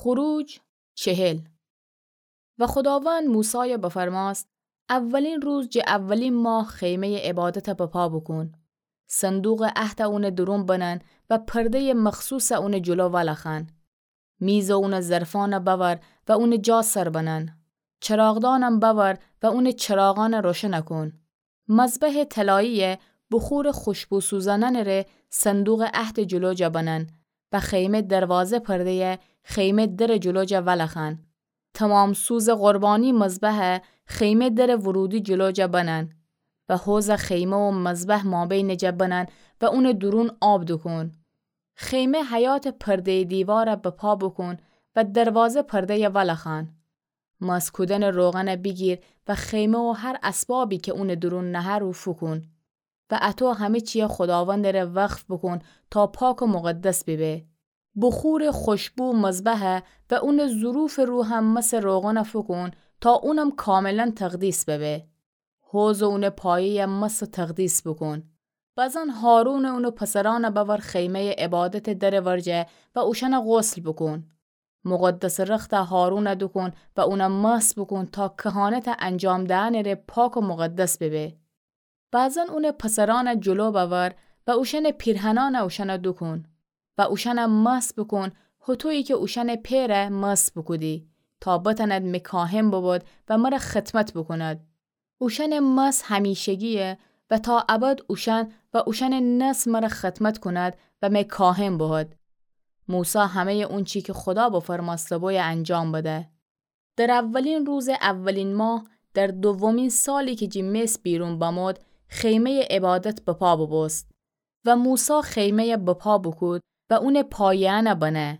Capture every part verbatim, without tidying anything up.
خروج چهل. و خوداوند موسایَ بفرماست: اولین روز جٚه اولین ماه خیمه‌یٚ عبادتَ بپا بوکون. صندوقٚ عهدَ اونٚ دورون بنن و پرده‌یٚ مخصوصَ اونٚ جلو ولخوأن. میز و اونٚ ظرفأنَ بأور و اونٚ جا سر بنن. چراغدانم بأور و اونٚ چراغأنَ روشنَ کون. مذبحٚ طلایی‌یَ بخورٚ خوشبو سوزانأنٚ ره صندوقٚ عهدٚ جلو جا بنن و خیمه دروازه پرده‌یَ خیمه درٚ جلو جا ولخوأن. تومام سوزٚ قربانی مذبحَ خیمه درٚ ورودی جلو جا بنن و حوضَ خیمه و مذبح مابینٚ جا بنن و اونٚ دورون آب دوکون. خیمه حیاطٚ پرده‌یٚ دیوارَ بپا بوکون و دروازه پرده‌یَ ولخوأن. مست کودنٚ روغنَ بیگیر و خیمه و هر اسبابی کی اونٚ دورون نهه رو فوکون و اطو همه چیَ خوداوندٚ ره وقف بوکون تا پاک و مقدس بیبه. بخورٚ خوشبو مذبحَ و اونٚ ظروفٚ رو هم مسٚ روغنَ فوکون تا اونم کاملا تقدیس ببه. حوض و اونٚ پایه‌یَ مست و تقدیس بوکون. بزن هارون و اونٚ پسرأنَ بأور خیمه‌یٚ عبادتٚ درٚ ورجه و اوشأنَ غسل بوکون. مقدسٚ رختَ هارونَ دوکون و اونَ مست بوکون تا کهانتَ انجام دهنٚ ره پاک و مقدس ببه. بزن اونٚ پسرأنَ جلو بأور و اوشأنٚ پیرهنأنَ اوشأنَ دوکون و اوشأنَ مست بوکون، هوطویی کی اوشأنٚ پئرَ مست بوکودی، تا بتأند می کاهن ببد و مرَ خدمت بوکوند. اوشأنٚ مست همیشگی‌یه و تا ابد اوشأن و اوشأنٚ نسل مرَ خدمت کوند و می کاهن بوهد. موسی همه‌یٚ اونچی کی خودا بفرمأسته‌بویَ انجام بده. در اولین روزٚ اولین ماه، در دومین سالی کی جٚه مصر بیرون بمود، خیمه‌یٚ عبادت بپا بوبوست. و موسی خیمه‌یَ بپا بوکود و اونٚ پایه‌یأنَ بنه.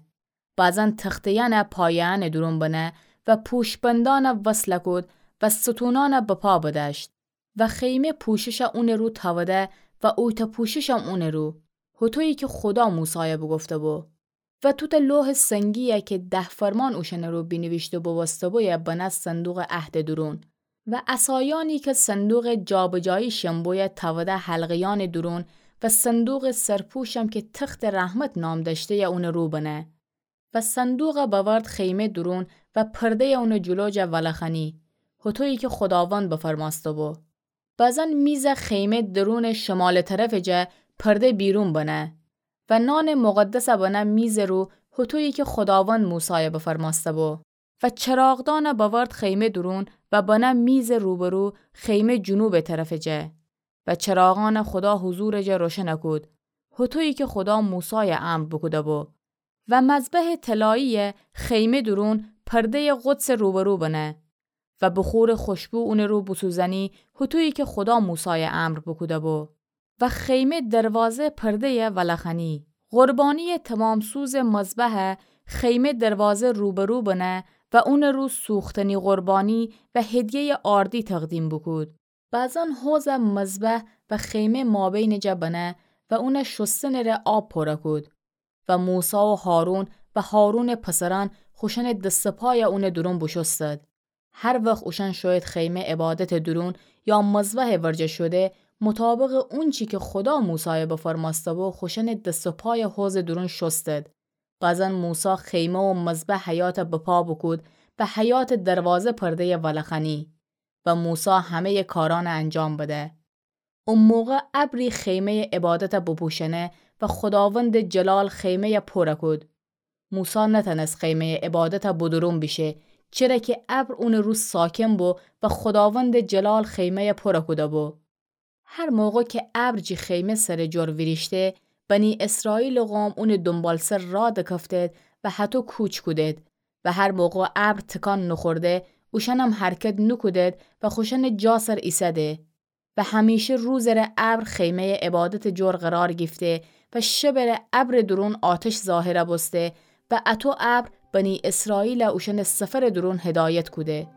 بزن تخته‌یأنَ پایه‌یأنٚ دورون بنه و پوشبندأنَ وصلَ کود و ستونأنَ بپا بدأشت. و خیمه پوششَ اونٚ رو تأوده و اویتأ پوششم اونٚ رو، هوطویی کی خودا موسایَ بوگفته‌بو. و توتأ لوحٚ سنگی‌یَ کی ده فرمان اوشأنٚ رو بینیویشته بوبوسته‌بویَ بنه صندوقٚ عهدٚ دورون. و عصایأنی کی صندوقٚ جابجایی شمبویَ تأوده حلقه‌یأنٚ دورون و صندوقٚ سرپوشم کی تختٚ رحمت نام دأشته‌یَ اونٚ رو بنه. و صندوقَ بأورد خیمه دورون و پرده‌یَ اونٚ جلو جا ولخوأنی، هوطویی کی خوداوند بفرمأسته‌بو. بزن میزَ خیمه درونٚ شمالٚ طرفٚ جا پرده بیرون بنه. و نانٚ مقدسَ بنه میزٚ رو، هوطویی کی خوداوند موسایَ بفرمأسته‌بو. و چراغدانَ بأورد خیمه دورون و بنه میزٚ روبرو خیمه جنوبٚ طرفٚ جا. و چراغأنَ خودا حضورٚ جا روشنَ کود، هوطویی کی خودا موسایَ امر بوکوده‌بو. و مذبحٚ طلایی‌یَ خیمه دورون پرده‌یٚ قدسٚ روبرو بنه. و بخورٚ خوشبو اونٚ رو بوسوزأنی، هوطویی کی خودا موسایَ امر بوکوده‌بو. و خیمه دروازه پرده‌یَ ولخوأنی. قربانی‌یٚ تومام‌سوزٚ مذبحَ خیمه دروازه روبرو بنه و اونٚ رو سوختنی قربانی و هدیه‌یٚ آردی تقدیم بوکود. بزن حوضَ مذبح و خیمه مابینٚ جا بنه و اونَ شستنٚ ره آب پورَ کود. و موسی و هارون و هارونٚ پسرأن خوشأنٚ دس و پایَ اونٚ دورون بوشوستد. هر وخت اوشأن شویید خیمه عبادتٚ دورون یا مذبحٚ ورجه شوده، مطابقٚ اونچی کی خودا موسایَ بفرمأسته‌بو، خوشأنٚ دس و پایَ حوضٚ دورون شوستد. بزن موسی خیمه و مذبح حیاطَ بپا بوکود و حیاطٚ دروازه پرده‌یَ ولخوأنی. و موسی همه‌یٚ کارأنَ انجام بده. او موقع ابری خیمه‌یٚ عبادتَ بوپوشأنه و خوداوندٚ جلال خیمه‌یَ پورَ کود. موسی نتأنست خیمه‌یٚ عبادتَ بودورون بیشه، چره کی ابر اونٚ رو ساکن بو و خوداوندٚ جلال خیمه‌یَ پورَ کوده‌بو. هر موقع کی ابر جی خیمه سرٚ جور ویریشته، بنی اسرائیلٚ قوم اونٚ دونبالسر راه دکفتید و هطو کوچ کودید. و هر موقع ابر تکان نوخورده، اوشأنم حرکت نوکودید و خوشأنٚ جا سر ایسده. و همیشه روزٚ ره ابر خیمه‌یٚ عبادتٚ جور قرار گیفته و شبٚ ره ابرٚ دورون آتش ظاهرَ بوسته و اطو ابر بنی اسرائیلَ اوشأنٚ سفرٚ دورون هدایت کوده.